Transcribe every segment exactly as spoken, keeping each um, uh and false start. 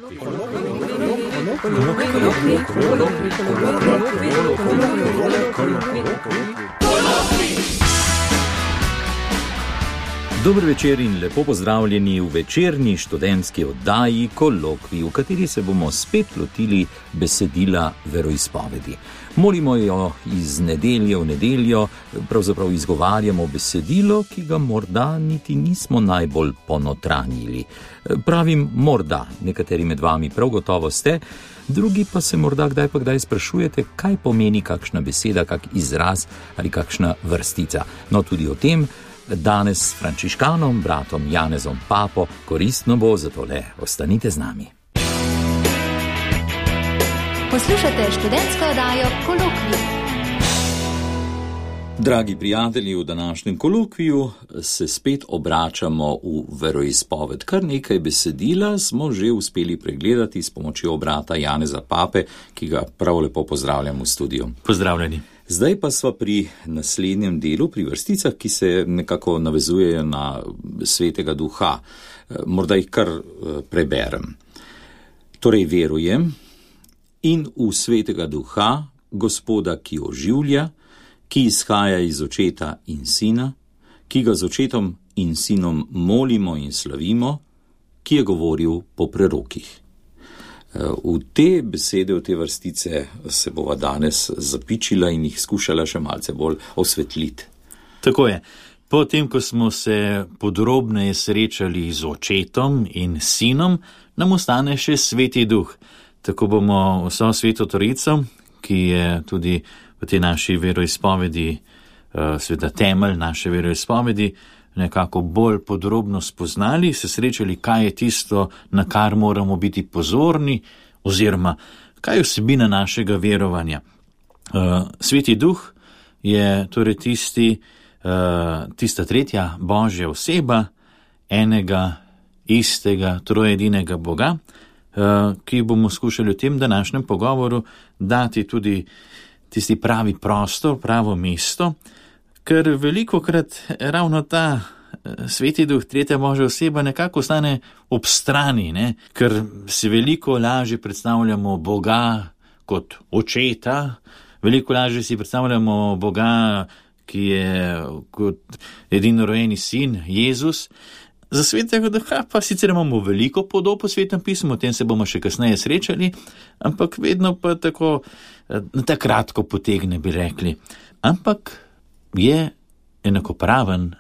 Dober večer in lepo pozdravljeni v večerni študentski oddaji Kolokvij, v kateri se bomo spet lotili besedila veroizpovedi. Molimo jo iz nedelje v nedeljo, pravzaprav izgovarjamo besedilo, ki ga morda niti nismo najbolj ponotranjili. Pravim morda, nekateri med vami prav gotovo ste, drugi pa se morda kdaj pa kdaj sprašujete, kaj pomeni kakšna beseda, kak izraz ali kakšna vrstica. No, tudi o tem danes s frančiškanom, bratom Janezom Papo, koristno bo, zato le ostanite z nami. Poslušate študentsko oddajo Kolokvij. Dragi prijatelji, v današnjem kolokviju se spet obračamo v veroizpoved. Kar nekaj besedila smo že uspeli pregledati s pomočjo brata Janeza Pape, ki ga prav lepo pozdravljam v studiu. Pozdravljeni. Zdaj pa sva pri naslednjem delu, pri vrsticah, ki se nekako navezujejo na Svetega Duha. Morda jih kar preberem. Torej verujem in v Svetega Duha, Gospoda, ki oživlja, ki izhaja iz Očeta in Sina, ki ga z Očetom in Sinom molimo in slavimo, ki je govoril po prerokih. V te besede, v te vrstice se bova danes zapičila in jih skušala še malce bolj osvetliti. Tako je. Potem, ko smo se podrobneje srečali z Očetom in Sinom, nam ostane še Sveti Duh. Tako bomo vso Sveto Trojico, ki je tudi v tej naši veroizpovedi, sveda temelj naše veroizpovedi, nekako bolj podrobno spoznali, se srečali, kaj je tisto, na kar moramo biti pozorni, oziroma kaj je vsebina našega verovanja. Sveti Duh je torej tisti, tista tretja Božja oseba, enega, istega, trojedinega Boga, ki bomo skušali v tem današnjem pogovoru dati tudi tisti pravi prostor, pravo mesto, ker velikokrat ravno ta Sveti Duh, tretja Božja oseba, nekako ostane ob strani, ne? Ker si veliko lažje predstavljamo Boga kot Očeta, veliko lažje si predstavljamo Boga, ki je kot edinorojeni sin, Jezus. Za Svetega Duha pa sicer imamo veliko podob v Svetem pismu, o tem se bomo še kasneje srečali, ampak vedno pa tako, tako kratko potegne, bi rekli. Ampak je enakopraven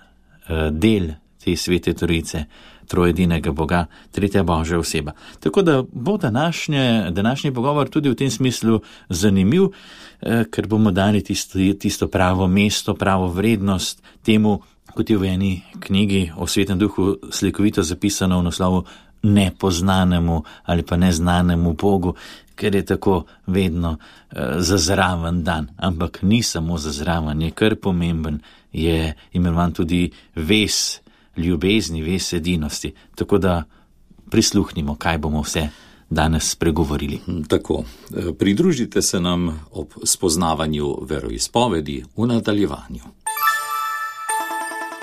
del te Svete Trojice, trojedinega Boga, tretja Božja oseba. Tako da bo današnje, današnji pogovor tudi v tem smislu zanimiv, ker bomo dali tisto, tisto pravo mesto, pravo vrednost temu, kot je v eni knjigi o Svetem Duhu slikovito zapisano v naslovu nepoznanemu ali pa neznanemu Bogu, ker je tako vedno uh, zazraven dan. Ampak ni samo zazraven, je kar pomemben, je imenovan tudi ves ljubezni, ves edinosti. Tako da prisluhnimo, kaj bomo vse danes spregovorili. Tako, pridružite se nam ob spoznavanju veroizpovedi v nadaljevanju.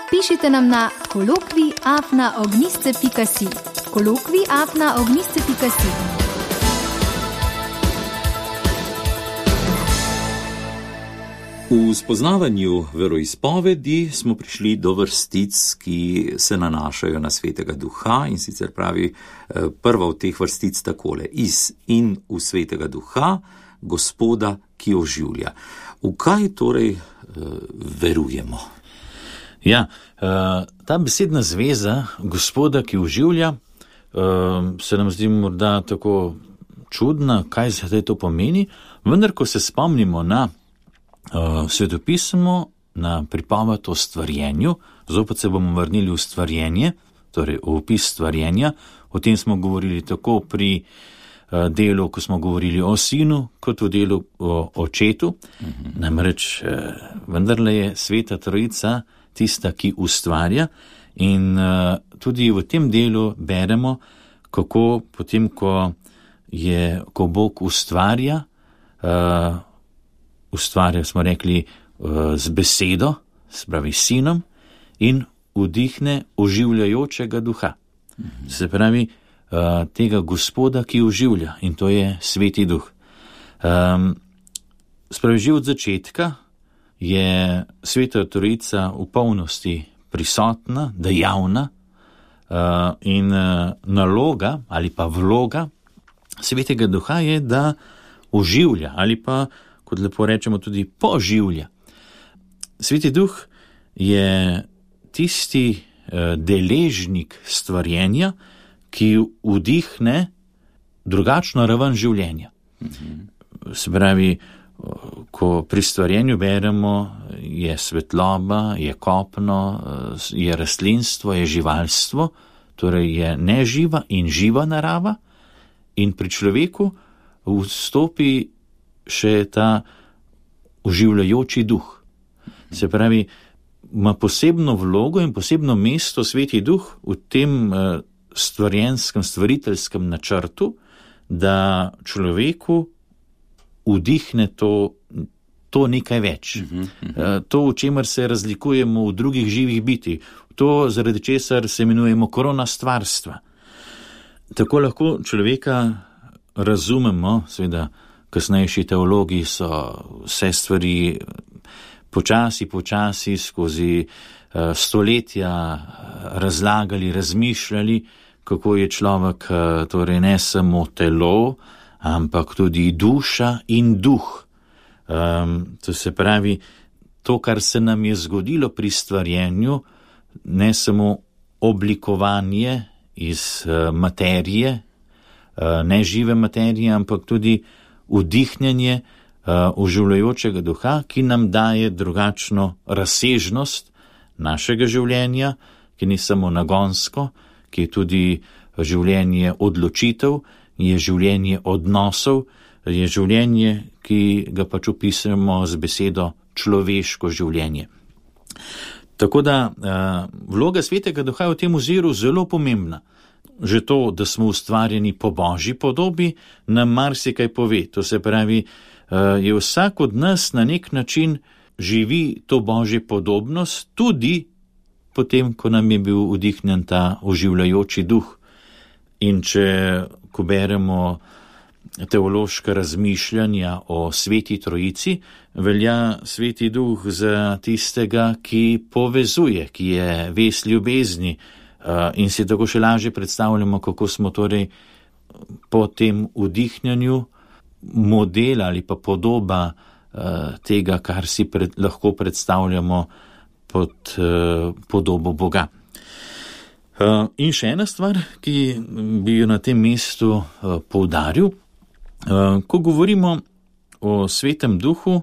Pišite nam na kolokvij afna ognjišče pika si. kolokvij afna ognjišče pika si. V spoznavanju veroizpovedi smo prišli do vrstic, ki se nanašajo na Svetega Duha, in sicer pravi prva od teh vrstic takole: iz in v Svetega Duha, Gospoda, ki oživlja. V kaj torej uh, verujemo? Ja, ta besedna zveza Gospoda, ki oživlja, se nam zdi morda tako čudna, kaj zdaj to pomeni, vendar ko se spomnimo na svetopismo, na pripoved o stvarjenju, zopet se bomo vrnili v stvarjenje, torej v opis stvarjenja, o tem smo govorili tako pri delu, ko smo govorili o Sinu, kot v delu o Očetu, uh-huh. Namreč vendarle je Sveta Trojica tista, ki ustvarja, in uh, tudi v tem delu beremo, kako potem, ko, je, ko Bog ustvarja, uh, ustvarja, smo rekli, uh, z besedo, se pravi Sinom, in vdihne oživljajočega duha. Mhm. Se pravi, uh, tega Gospoda, ki oživlja, in to je Sveti Duh. Um, Spravi, že od začetka je Sveta Trojica v polnosti prisotna, dejavna, uh, in uh, naloga ali pa vloga Svetega Duha je, da oživlja ali pa, kot lepo rečemo, tudi poživlja. Sveti Duh je tisti uh, deležnik stvarjenja, ki vdihne drugačno raven življenja. Mhm. Se pravi, ko pri stvarjenju beremo, je svetloba, je kopno, je rastlinstvo, je živalstvo, torej je neživa in živa narava, in pri človeku vstopi še ta oživljajoči duh. Se pravi, ima posebno vlogo in posebno mesto Sveti Duh v tem stvarjenskem, stvariteljskem načrtu, da človeku vdihne to, to nekaj več. Uh-huh, uh-huh. To, v čemer se razlikujemo od drugih živih bitij. To, zaradi česar se imenujemo korona stvarstva. Tako lahko človeka razumemo, seveda kasnejši teologi so vse stvari počasi, počasi skozi uh, stoletja razlagali, razmišljali, kako je človek uh, torej ne samo telo, ampak tudi duša in duh. Um, to se pravi, to, kar se nam je zgodilo pri stvarjenju, ne samo oblikovanje iz uh, materije, uh, nežive materije, ampak tudi vdihnjenje uh, oživljajočega duha, ki nam daje drugačno razsežnost našega življenja, ki ni samo nagonsko, ki je tudi življenje odločitev, je življenje odnosov, je življenje, ki ga pač opisujemo z besedo človeško življenje. Tako da uh, vloga Svetega Duha je v tem oziru zelo pomembna. Že to, da smo ustvarjeni po Božji podobi, nam marsikaj pove. To se pravi, uh, je vsak od nas na nek način živi to Božje podobnost, tudi potem, ko nam je bil vdihnjen ta oživljajoči duh. In če, ko beremo teološka razmišljanja o Sveti Trojici, velja Sveti Duh za tistega, ki povezuje, ki je vez ljubezni, in si tako še lažje predstavljamo, kako smo torej po tem vdihnjanju model ali pa podoba tega, kar si pred, lahko predstavljamo pod podobo Boga. In še ena stvar, ki bi jo na tem mestu poudaril, ko govorimo o Svetem Duhu,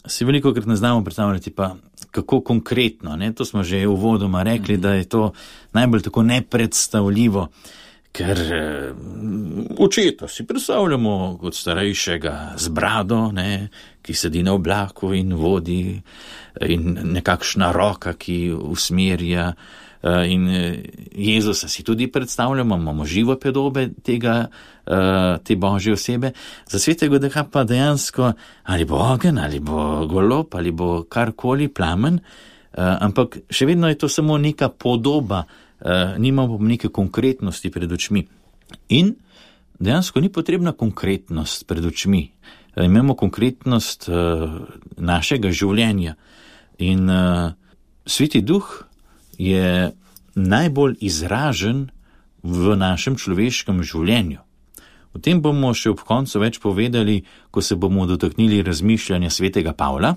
si veliko krat ne znamo predstavljati pa kako konkretno, ne? To smo že uvodoma rekli, da je to najbolj tako nepredstavljivo, ker očeta si predstavljamo kot starejšega z brado, ne? Ki sedi na oblaku in vodi, in nekakšna roka, ki usmerja. In Jezusa si tudi predstavljamo, imamo živo podobe tega, te Božje osebe. Za Svetega Duha pa dejansko ali bo ogenj, ali bo golob, ali bo karkoli, plamen, ampak še vedno je to samo neka podoba, nimamo neke konkretnosti pred očmi. In dejansko ni potrebna konkretnost pred očmi. Imamo konkretnost našega življenja. In Sveti Duh je najbolj izražen v našem človeškem življenju. O tem bomo še ob koncu več povedali, ko se bomo dotaknili razmišljanja Svetega Pavla.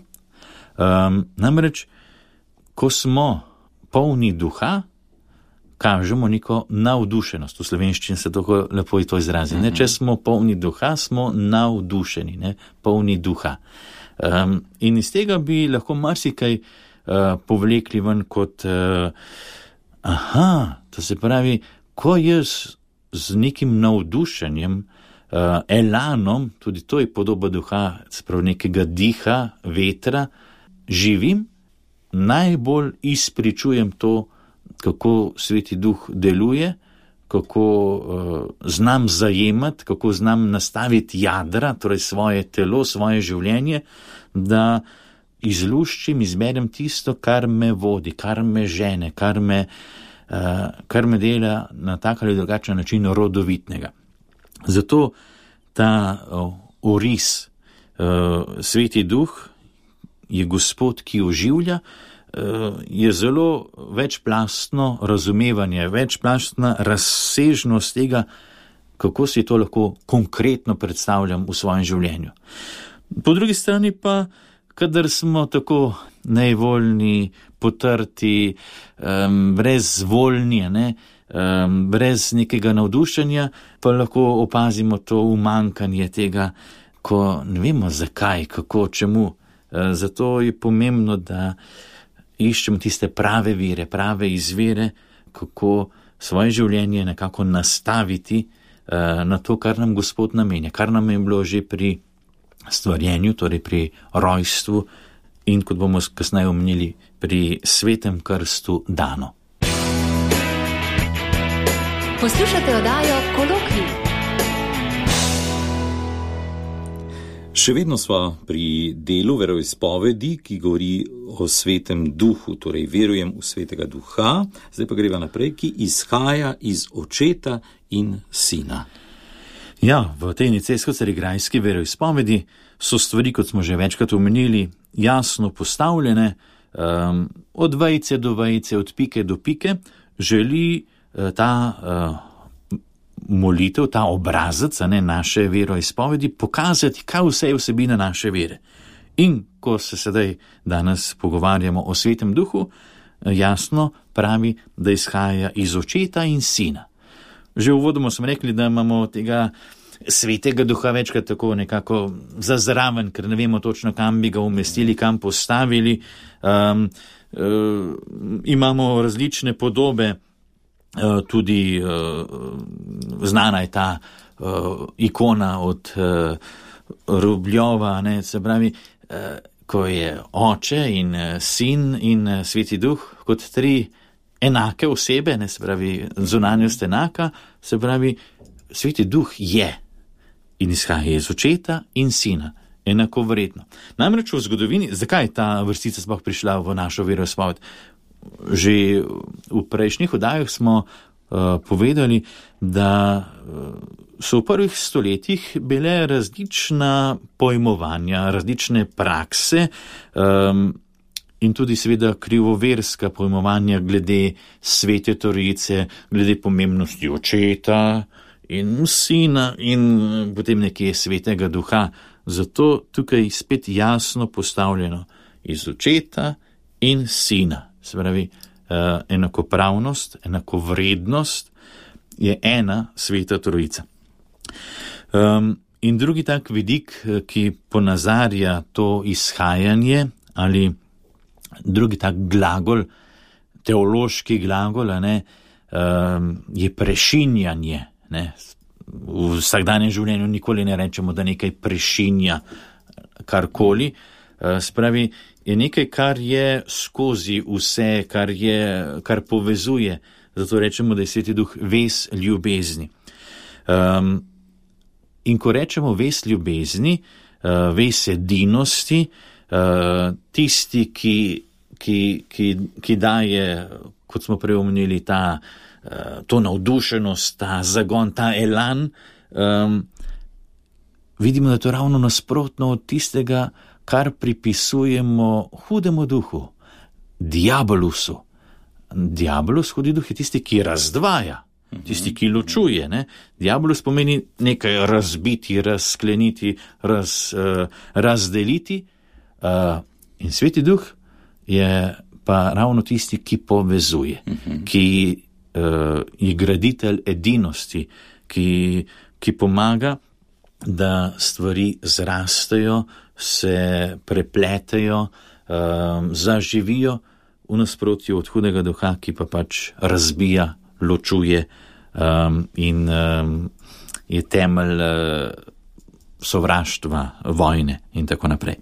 Um, namreč, ko smo polni duha, kažemo neko navdušenost. V slovenščini se tako lepo to izrazi. Ne? Če smo polni duha, smo navdušeni, ne? Polni duha. Um, in iz tega bi lahko marsikaj Uh, povlekli ven kot uh, aha, to se pravi, ko jaz z nekim navdušenjem, uh, elanom, tudi to je podoba duha, se pravi nekega diha, vetra, živim, najbolj izpričujem to, kako Sveti Duh deluje, kako uh, znam zajemati, kako znam nastaviti jadra, torej svoje telo, svoje življenje, da izluščim, izberem tisto, kar me vodi, kar me žene, kar me kar me dela na tak ali drugačen način rodovitnega. Zato ta oris, Sveti Duh je Gospod, ki oživlja, je zelo večplastno razumevanje, večplastna razsežnost tega, kako si to lahko konkretno predstavljam v svojem življenju. Po drugi strani pa, kadar smo tako nevoljni, potrti, um, brezvoljni, ne, um, brez nekega navdušenja, pa lahko opazimo to umankanje tega, ko ne vemo zakaj, kako, čemu. Uh, zato je pomembno, da iščemo tiste prave vire, prave izvire, kako svoje življenje nekako nastaviti uh, na to, kar nam Gospod namenja, kar nam je bilo že pri stvarjenju, torej pri rojstvu in, kot bomo kasneje omenili, pri svetem krstu dano. Poslušate oddajo Kolokvij. Še vedno sva pri delu veroizpovedi, ki govori o Svetem Duhu, torej verujem v Svetega Duha, zdaj pa greva naprej, ki izhaja iz Očeta in Sina. Ja, v tej nicejsko-carigrajski veroizpovedi so stvari, kot smo že večkrat omenili, jasno postavljene, um, od vejice do vejice, od pike do pike, želi uh, ta uh, molitev, ta obrazec, ne, naše veroizpovedi pokazati, kaj vse je vsebina naše vere. In ko se sedaj danes pogovarjamo o Svetem Duhu, jasno pravi, da izhaja iz Očeta in Sina. Že uvodoma smo rekli, da imamo tega Svetega Duha večkrat tako nekako zazraven, ker ne vemo točno, kam bi ga umestili, kam postavili. Um, uh, imamo različne podobe, uh, tudi uh, znana je ta uh, ikona od uh, Rubljova, ne, se pravi, uh, ko je Oče in uh, Sin in uh, Sveti Duh kot tri enake osebe, ne, se pravi, zunanjost enaka, se pravi, Sveti Duh je in izhaja iz Očeta in Sina, enako vredno. Namreč v zgodovini, zakaj je ta vrstica sploh prišla v našo veroizpoved? Že v prejšnjih oddajah smo uh, povedali, da uh, so v prvih stoletjih bile različna pojmovanja, različne prakse, um, in tudi seveda krivoverska pojmovanja glede Svete Trojice, glede pomembnosti Očeta in Sina in potem nekje Svetega Duha. Zato tukaj spet jasno postavljeno iz Očeta in Sina. Se pravi, enakopravnost, enakovrednost je ena Sveta Trojica. Um, in drugi tak vidik, ki ponazarja to izhajanje ali drugi tak glagol, teološki glagol, ne, um, je prešinjanje. Ne. V vsakdanjem življenju nikoli ne rečemo, da nekaj prešinja karkoli. Uh, spravi, je nekaj, kar je skozi vse, kar, je, kar povezuje. Zato rečemo, da je Sveti Duh vez ljubezni. Um, in ko rečemo vez ljubezni, uh, vez edinosti, Uh, tisti, ki, ki, ki, ki daje, kot smo prej omenili, ta, uh, to navdušenost, ta zagon, ta elan, um, vidimo, da je to ravno nasprotno od tistega, kar pripisujemo hudemu duhu, diabolusu. Diabolus, hudi duh, je tisti, ki razdvaja, tisti, ki ločuje. Ne? Diabolus pomeni nekaj razbiti, razskleniti, raz, uh, razdeliti. Uh, in Sveti Duh je pa ravno tisti, ki povezuje, uh-huh. ki uh, je graditelj edinosti, ki, ki pomaga, da stvari zrastejo, se prepletejo, uh, zaživijo v nasprotju od hudega duha, ki pa pač razbija, ločuje um, in um, je temelj uh, sovraštva, vojne in tako naprej.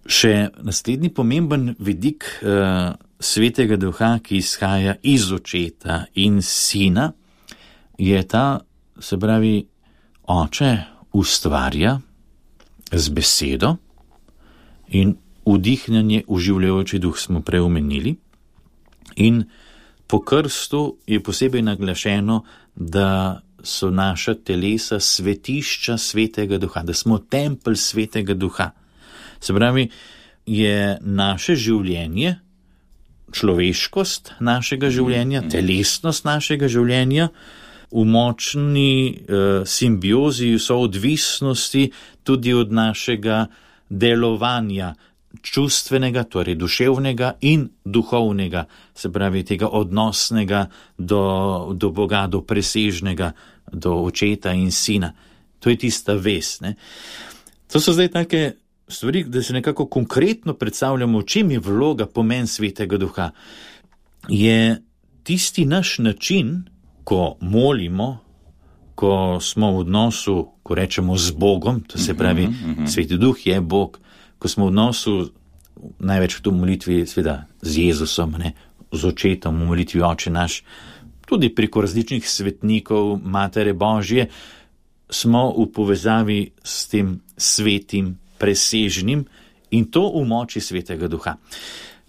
Še naslednji pomemben vidik uh, Svetega Duha, ki izhaja iz Očeta in Sina, je ta, se pravi, Oče ustvarja z besedo in vdihnjanje uživljajoči duh smo prej omenili. In po krstu je posebej naglašeno, da so naša telesa svetišča Svetega Duha, da smo tempelj Svetega Duha. Se pravi, je naše življenje, človeškost našega življenja, telesnost našega življenja v močni uh, simbiozi, soodvisnosti tudi od našega delovanja, čustvenega, torej duševnega in duhovnega, se pravi tega odnosnega do, do Boga, do presežnega, do očeta in sina. To je tista vez. Ne? To so zdaj take stvari, da se nekako konkretno predstavljamo, v čem je vloga, pomen Svetega Duha. Je tisti naš način, ko molimo, ko smo v odnosu, ko rečemo z Bogom, to se pravi, uh-huh, uh-huh. Sveti Duh je Bog, ko smo v odnosu največ v to molitvi sveda z Jezusom, ne, z očetom v molitvi Oče naš, tudi preko različnih svetnikov Matere Božje, smo v povezavi s tem svetim, presežnim in to v moči Svetega Duha.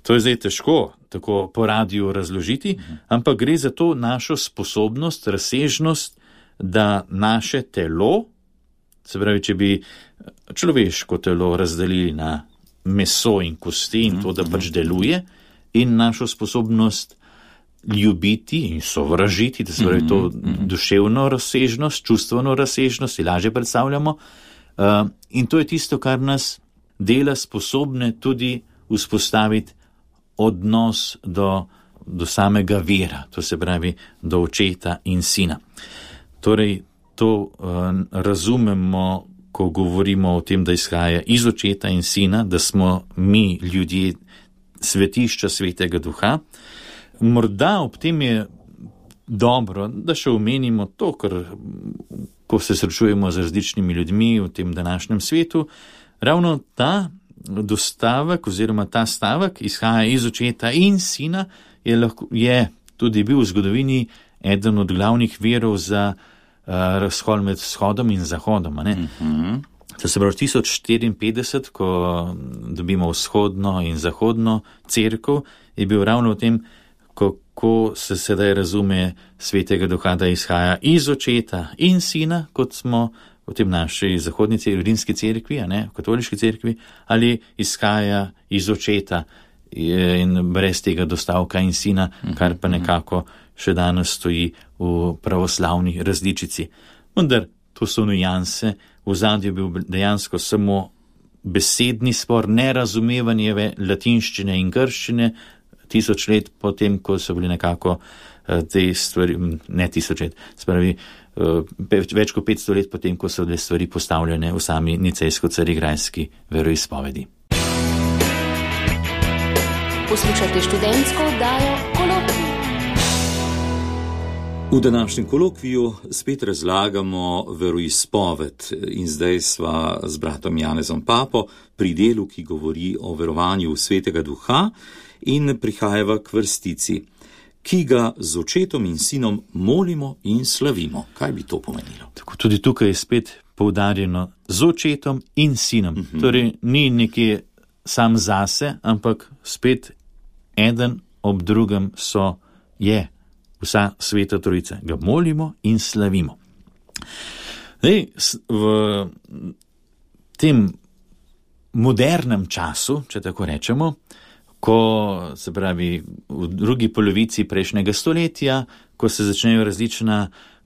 To je zdaj težko tako po radiju razložiti, ampak gre za to našo sposobnost, razsežnost, da naše telo, se pravi, če bi človeško telo razdelili na meso in kosti in to, da pač deluje, in našo sposobnost ljubiti in sovražiti, da se pravi to duševno razsežnost, čustveno razsežnost, si lažje predstavljamo. Uh, in to je tisto, kar nas dela sposobne tudi vzpostaviti odnos do, do samega vera, to se pravi do očeta in sina. Torej, to uh, razumemo, ko govorimo o tem, da izhaja iz očeta in sina, da smo mi ljudje svetišča Svetega Duha. Morda ob tem je dobro, da še omenimo to, ker ko se srečujemo z različnimi ljudmi v tem današnjem svetu, ravno ta dostavek oziroma ta stavek izhaja iz očeta in sina, je, lahko, je tudi bil v zgodovini eden od glavnih virov za uh, razhod med vzhodom in zahodom. Ne? Mm-hmm. To se pravi tisoč štiriinpetdeset, ko dobimo vzhodno in zahodno cerkev, je bil ravno v tem, kako se sedaj razume Svetega Duha, da izhaja iz očeta in sina, kot smo v tem naši zahodni cerkvi, rimski cerkvi, a ne, v katoliški cerkvi, ali izhaja iz očeta in brez tega dostavka in sina, kar pa nekako še danes stoji v pravoslavni različici. Vendar to so nujanse, v zadju je bil dejansko samo besedni spor, nerazumevanje latinščine in grščine, tisoč let potem, ko so bili nekako uh, te stvari, ne tisoč let, spravi, uh, več kot petsto let potem, ko so bile stvari postavljene v sami nicejsko-carigrajski veroizpovedi. Poslušajte študentsko oddajo Kolokvij. V današnjem kolokviju spet razlagamo veroizpoved in zdaj sva z bratom Janezom Papo pri delu, ki govori o verovanju v Svetega Duha, in prihajava k vrstici, ki ga z očetom in sinom molimo in slavimo. Kaj bi to pomenilo? Tako, tudi tukaj je spet poudarjeno z očetom in sinom. Uh-huh. Torej, ni nekje sam zase, ampak spet eden ob drugem so, je vsa Sveta Trojica. Ga molimo in slavimo. Zdaj, v tem modernem času, če tako rečemo, ko se pravi v drugi polovici prejšnjega stoletja, ko se začnejo različna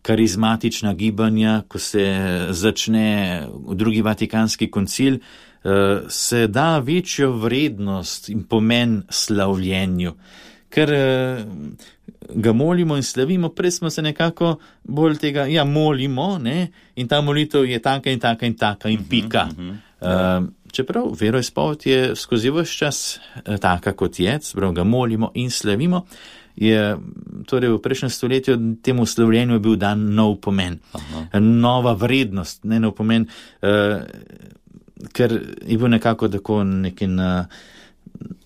karizmatična gibanja, ko se začne drugi Vatikanski koncil, se da večjo vrednost in pomen slavljenju, ker ga molimo in slavimo, prej smo se nekako bolj tega, ja, molimo, ne, in ta molitev je taka in taka in taka in pika. Uh-huh, uh-huh. Uh, Čeprav veroizpoved je skozi ves čas taka kot je, čeprav ga molimo in slavimo, je torej v prejšnjem stoletju temu slavljenju bil dan nov pomen, Aha. nova vrednost, ne nov pomen, uh, ker je bil nekako tako nekaj na,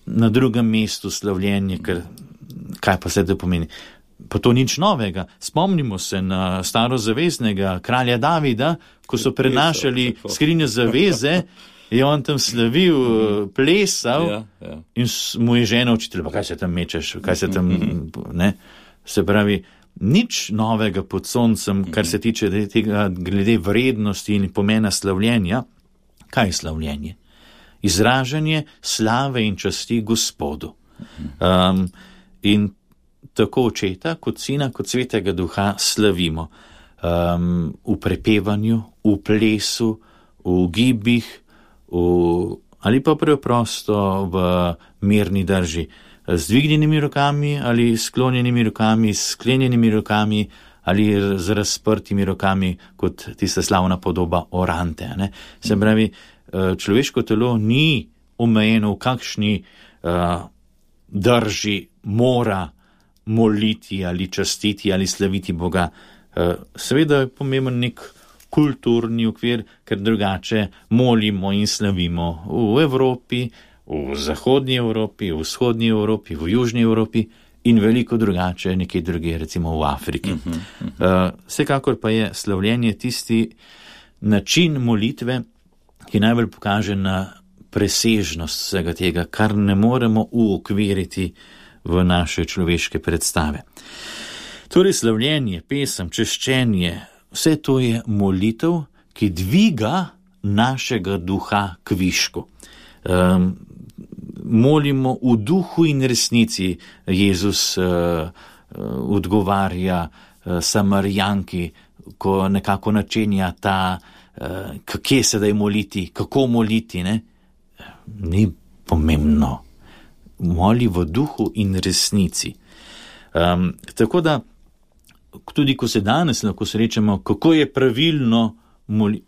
na drugem mestu slavljenje, ker kaj pa se to pomeni? Pa to nič novega. Spomnimo se na starozaveznega kralja Davida, ko so prenašali skrinjo zaveze, je on tam slavil, plesal, ja, ja. In mu je žena učitelj, pa kaj se tam mečeš, kaj se tam, ne? Se pravi, nič novega pod soncem, kar se tiče tega glede vrednosti in pomena slavljenja. Kaj je slavljenje? Izražanje slave in časti Gospodu. Um, in tako očeta, kot sina, kot svetega duha slavimo. Um, v prepevanju, v plesu, v gibih, v, ali pa preprosto v mirni drži. Z dvignjenimi rokami ali sklonjenimi rokami, s sklenjenimi rokami ali z razprtimi rokami, kot tista slavna podoba orante. Ne? Se pravi, človeško telo ni omejeno v kakšni uh, drži mora moliti ali častiti ali slaviti Boga. Uh, seveda je pomemben nek kulturni okvir, ker drugače molimo in slavimo v Evropi, v zahodnji Evropi, v vzhodnji Evropi, v južni Evropi in veliko drugače nekje druge, recimo v Afriki. Uh-huh, uh-huh. Uh, vsekakor pa je slavljenje tisti način molitve, ki najbolj pokaže na presežnost vsega tega, kar ne moremo uokviriti v naše človeške predstave. Torej slavljenje, pesem, češčenje, vse to je molitev, ki dviga našega duha k višku. Um, molimo v duhu in resnici. Jezus uh, uh, odgovarja uh, Samarijanki, ko nekako načenja ta, uh, kje sedaj moliti, kako moliti, ne? Ni pomembno. Moli v duhu in resnici. Um, tako da, tudi ko se danes lahko srečamo, kako je pravilno moliti,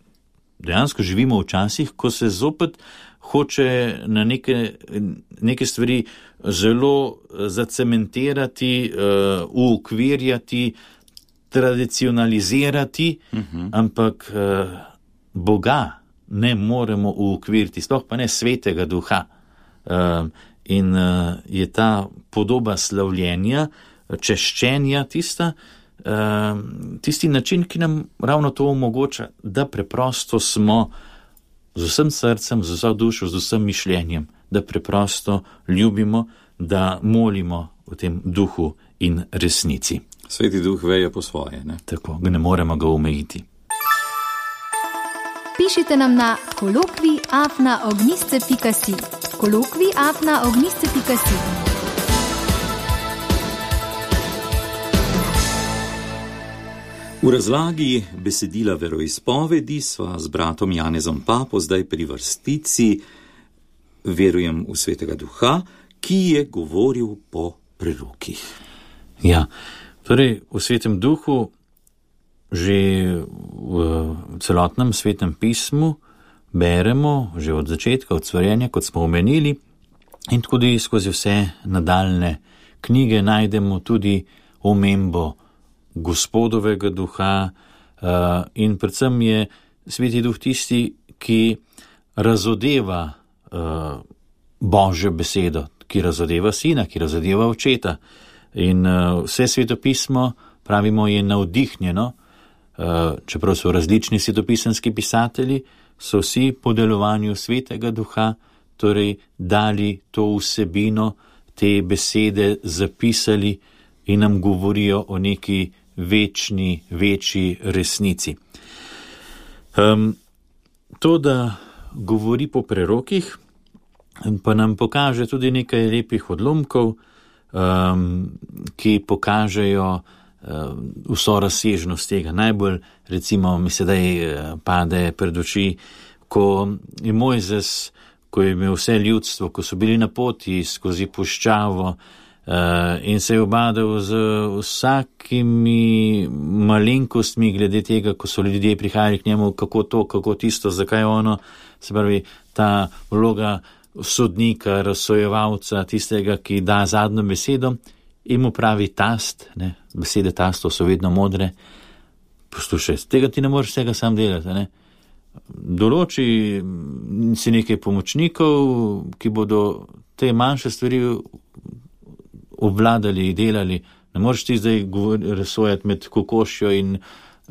dejansko živimo v časih, ko se zopet hoče na neke, neke stvari zelo zacementirati, uh, uokvirjati, tradicionalizirati, uh-huh. ampak uh, Boga ne moremo uokviriti, sploh pa ne svetega duha. Uh, in uh, je ta podoba slavljenja, češčenja tista, uh, tisti način, ki nam ravno to omogoča, da preprosto smo z vsem srcem, z vso dušo, z vsem mišljenjem, da preprosto ljubimo, da molimo v tem duhu in resnici. Sveti duh veje po svoje, ne? Tako, ne moremo ga omejiti. Pišite nam na kolokvij afna ognjišče pika si. kolokvij afna ognjišče pika si. V razlagi besedila veroizpovedi sva z bratom Janezom Papo zdaj pri vrstici Verujem v svetega duha, ki je govoril po prerokih. Ja, torej v svetem duhu že v celotnem svetem pismu beremo, že od začetka, od stvarjenja, kot smo omenili, in tudi skozi vse nadaljne knjige najdemo tudi omembo Gospodovega duha, uh, in predvsem je sveti duh tisti, ki razodeva uh, Božjo besedo, ki razodeva sina, ki razodeva očeta. In uh, vse svetopismo, pravimo, je navdihnjeno, uh, čeprav so različni svetopisanski pisatelji, so vsi po delovanju svetega duha, torej dali to vsebino, te besede zapisali in nam govorijo o neki večni, večji resnici. Um, to, da govori po prerokih, pa nam pokaže tudi nekaj lepih odlomkov, um, ki pokažejo um, vso razsežnost tega. Najbolj, recimo, mi sedaj pade pred oči, ko je Mojzes, ko je imel vse ljudstvo, ko so bili na poti skozi puščavo, Uh, in se je obadal z vsakimi malenkostmi glede tega, ko so ljudje prihajali k njemu, kako to, kako tisto, zakaj ono, se pravi, ta vloga sodnika, razsojevalca, tistega, ki da zadnjo besedo, in mu pravi tast, ne, besede tastov so vedno modre, poslušaj, tega ti ne moreš vsega sam delati, ne. Določi si nekaj pomočnikov, ki bodo te manjše stvari obvladali, delali, ne moreš ti zdaj razsojati med kokošjo in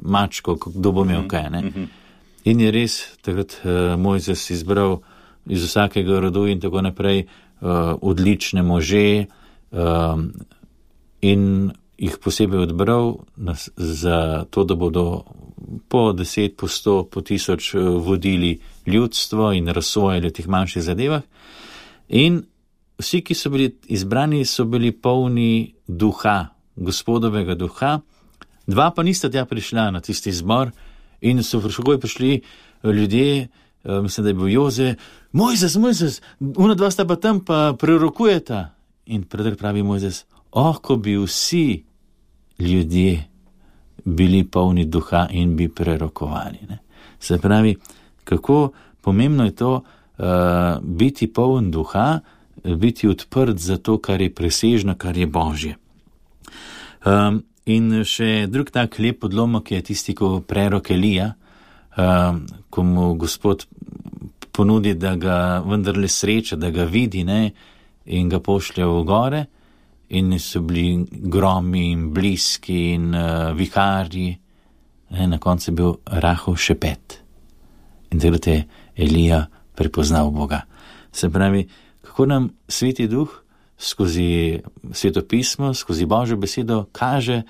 mačko, kdo bo imel kaj, ne. In je res takrat uh, Mojzes izbral iz vsakega rodu in tako naprej uh, odlične može uh, in jih posebej odbral za to, da bodo po deset, po sto, po tisoč vodili ljudstvo in razsojali v teh manjših zadevah. In vsi, ki so bili izbrani, so bili polni duha, Gospodovega duha. Dva pa nista tja prišla na tisti zbor in so všegoj prišli ljudje, mislim, da je bil Joze, Mojzes, Mojzes, una dva sta pa tam pa prerokujeta. In Predrag pravi Mojzes, oh, ko bi vsi ljudje bili polni duha in bi prerokovali. Ne? Se pravi, kako pomembno je to uh, biti poln duha, biti odprt za to, kar je presežno, kar je Božje. Um, in še drug tak lep odlomek je tisti, ko prerok Elija, um, ko mu Gospod ponudi, da ga vendarle sreča, da ga vidi, ne, in ga pošlje v gore, in so bili gromi in bliski in uh, viharji, ne, na koncu je bil rahel šepet. In takrat je Elija prepoznal Boga. Se pravi, kako nam Sveti Duh skozi svetopismo, skozi Božjo besedo kaže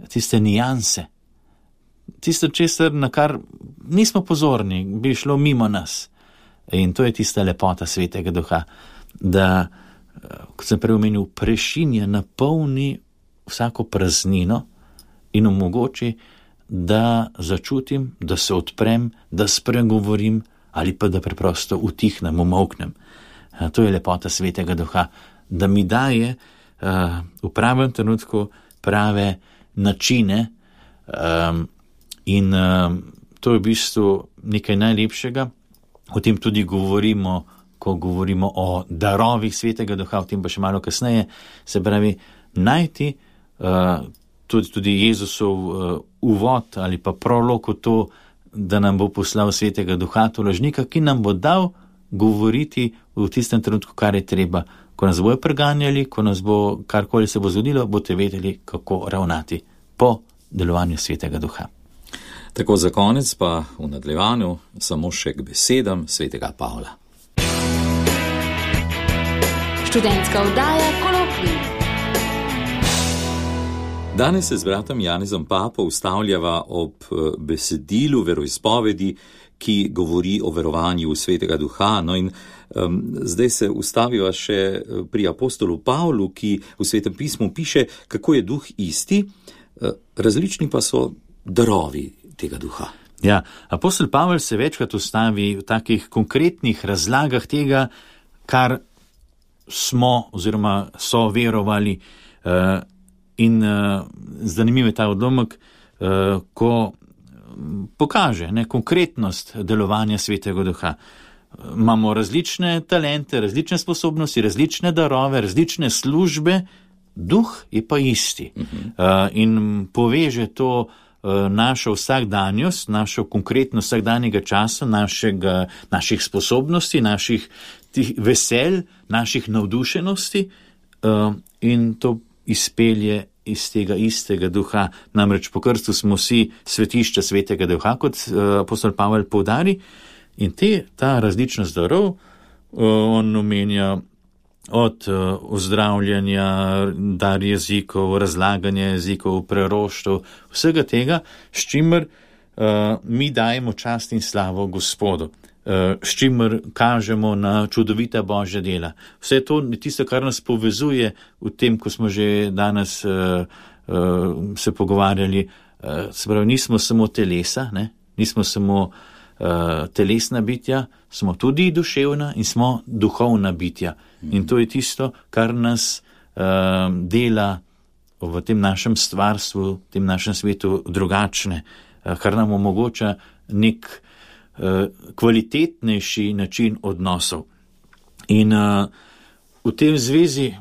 tiste nijanse, tisto česar, na kar nismo pozorni, bi šlo mimo nas. In to je tista lepota Svetega Duha, da, kot sem prej omenil, prešinja, napolni vsako praznino in omogoči, da začutim, da se odprem, da spregovorim ali pa da preprosto utihnem, umolknem. To je lepota Svetega Duha, da mi daje uh, v pravem trenutku prave načine um, in um, to je v bistvu nekaj najlepšega. O tem tudi govorimo, ko govorimo o darovih Svetega Duha, o tem pa še malo kasneje. Se pravi, najti uh, tudi, tudi Jezusov uh, uvod ali pa prolog v to, da nam bo poslal Svetega Duha, to lažnika, ki nam bo dal govoriti v tistem trenutku, kar je treba. Ko nas bojo preganjali, ko nas bo karkoli se bo zgodilo, boste vedeli, kako ravnati po delovanju Svetega Duha. Tako za konec pa v nadaljevanju samo še k besedam Svetega Pavla. Študentska oddaja Kolokvij. Danes se z bratom Janezom Papo ustavljava ob besedilu veroizpovedi, ki govori o verovanju v Svetega Duha. No in um, zdaj se ustaviva še pri apostolu Pavlu, ki v Svetem pismu piše, kako je duh isti, različni pa so darovi tega duha. Ja, apostol Pavel se večkrat ustavi v takih konkretnih razlagah tega, kar smo oziroma so verovali. Uh, in uh, zanimiv je ta odlomek, uh, ko pokaže ne, konkretnost delovanja Svetega Duha. Imamo različne talente, različne sposobnosti, različne darove, različne službe, duh je pa isti. Uh-huh. Uh, in poveže to uh, našo vsakdanjost, našo konkretnost vsakdanjega časa, našega, naših sposobnosti, naših tih veselj, naših navdušenosti uh, in to izpelje iz tega istega duha. Namreč po krstu smo vsi svetišča Svetega Duha, kot uh, apostol Pavel poudari, in te, ta različnost darov, uh, on omenja od uh, ozdravljanja, dar jezikov, razlaganja jezikov, preroštv, vsega tega, s čimer uh, mi dajemo čast in slavo Gospodu, uh, s čimer kažemo na čudovita Božja dela. Vse to je tisto, kar nas povezuje v tem, ko smo že danes uh, uh, se pogovarjali. Uh, se pravi, nismo samo telesa, ne? Nismo samo uh, telesna bitja, smo tudi duševna in smo duhovna bitja. Mm-hmm. In to je tisto, kar nas uh, dela v tem našem stvarstvu, v tem našem svetu drugačne, uh, kar nam omogoča nek uh, kvalitetnejši način odnosov. In uh, v tem zvezi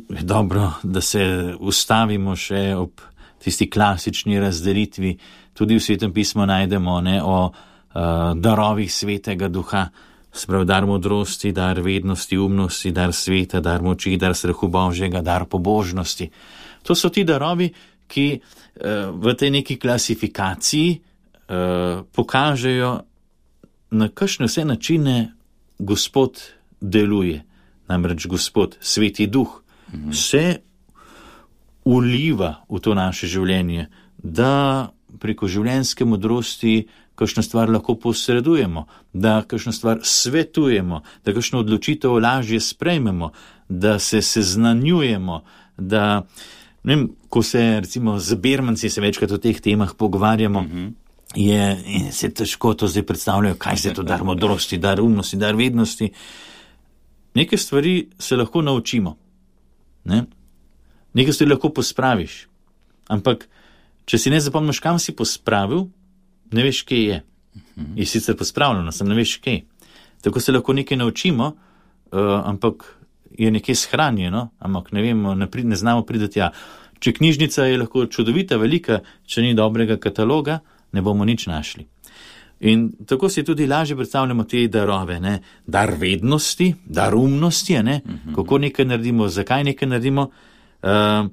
je dobro, da se ustavimo še ob tisti klasični razdelitvi. Tudi v Svetem pismu najdemo ne, o uh, darovih Svetega Duha, sprav dar modrosti, dar vednosti, umnosti, dar sveta, dar moči, dar strahu Božjega, dar pobožnosti. To so ti darovi, ki uh, v tej neki klasifikaciji uh, pokažejo, na kakšne vse načine Gospod deluje. Namreč Gospod, Sveti Duh, mm-hmm. se uliva v to naše življenje, da preko življenjske modrosti kakšno stvar lahko posredujemo, da kakšno stvar svetujemo, da kakšno odločitev lažje sprejmemo, da se seznanjujemo, da, ne vem, ko se recimo z Bermanci se večkrat o teh temah pogovarjamo, mm-hmm. je, in se težko to zdaj predstavljajo, kaj se to dar modrosti, dar umnosti, dar vednosti. Neke stvari se lahko naučimo, ne? Nekaj stvari lahko pospraviš, ampak če si ne zapomniš, kam si pospravil, ne veš, kje je. Uh-huh. Je sicer pospravljeno, sem ne veš, kje. Tako se lahko nekaj naučimo, uh, ampak je nekje shranjeno, ampak ne vemo, ne, pri, ne znamo prideti tja. Če knjižnica je lahko čudovita, velika, če ni dobrega kataloga, ne bomo nič našli. In tako si tudi lažje predstavljamo te darove, ne? Dar vednosti, dar umnosti, ne? Uh-huh. Kako nekaj naredimo, zakaj nekaj naredimo, uh,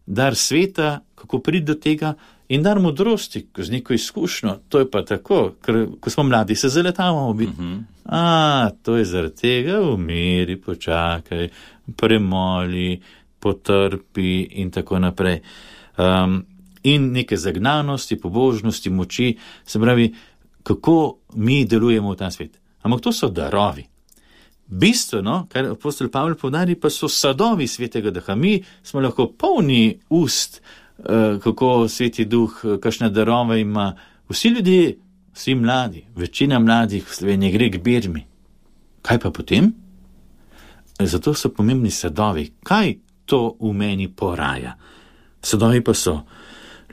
dar sveta, kako priti do tega, in dar modrosti, ko z neko izkušnjo, to je pa tako, ker ko smo mladi, se zaletavamo biti. Uh-huh. A, to je zaradi tega, umiri, počakaj, premoli, potrpi in tako naprej. Um, in neke zagnanosti, pobožnosti, moči, se pravi, kako mi delujemo v ta svet. Ampak to so darovi. Bistveno, kar apostol Pavel povdari, pa so sadovi svetega duha. Mi smo lahko polni ust, kako sveti duh, kakšne darove ima. Vsi ljudje, vsi mladi, večina mladih v Sloveniji gre k Birmi. Kaj pa potem? Zato so pomembni sadovi. Kaj to v meni poraja? Sadovi pa so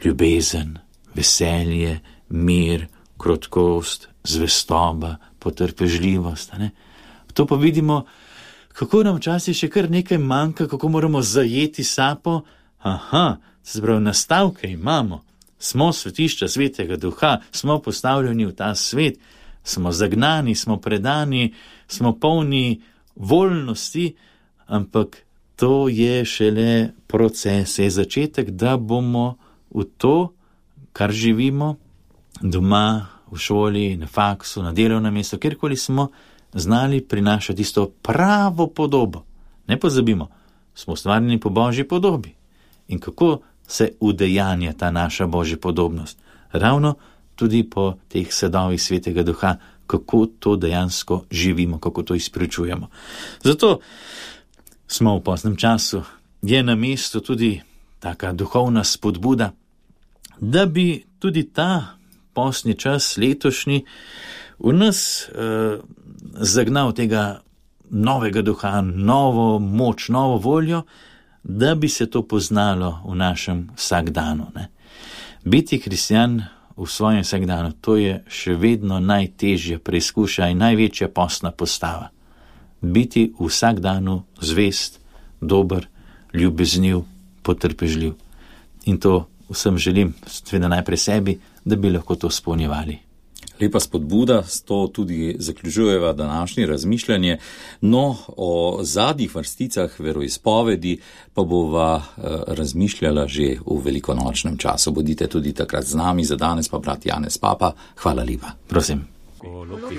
ljubezen, veselje, mir, krotkost, zvestoba, potrpežljivost. Ne? To pa vidimo, kako nam včasih še kar nekaj manjka, kako moramo zajeti sapo. Aha, se pravi, nastavke imamo, smo svetišča svetega duha, smo postavljeni v ta svet, smo zagnani, smo predani, smo polni voljnosti, ampak to je šele proces, je začetek, da bomo v to, kar živimo, doma, v šoli, na faksu, na delovnem mestu, kjerkoli smo, znali prinašati tisto pravo podobo. Ne pozabimo, smo ustvarjeni po Božji podobi. In kako se udejanja ta naša Božja podobnost? Ravno tudi po teh sadovih svetega duha, kako to dejansko živimo, kako to izpričujemo. Zato smo v poznem času, je na mestu tudi taka duhovna spodbuda, da bi tudi ta postni čas letošnji v nas eh, zagnal tega novega duha, novo moč, novo voljo, da bi se to poznalo v našem vsakdanu. Ne? Biti kristjan v svojem vsakdanu, to je še vedno najtežja preizkušnja in največja postna postava. Biti v vsakdanu zvest, dober, ljubezniv, potrpežljiv. In to vsem želim, seveda najprej sebi, da bi lahko to izpolnjevali. Lepa spodbuda, s to tudi zaključujeva današnje razmišljanje. No, o zadnjih vrsticah veroizpovedi pa bova razmišljala že v velikonočnem času. Bodite tudi takrat z nami, za danes pa brat Janez Papa. Hvala lepa. Prosim. Kolokvij.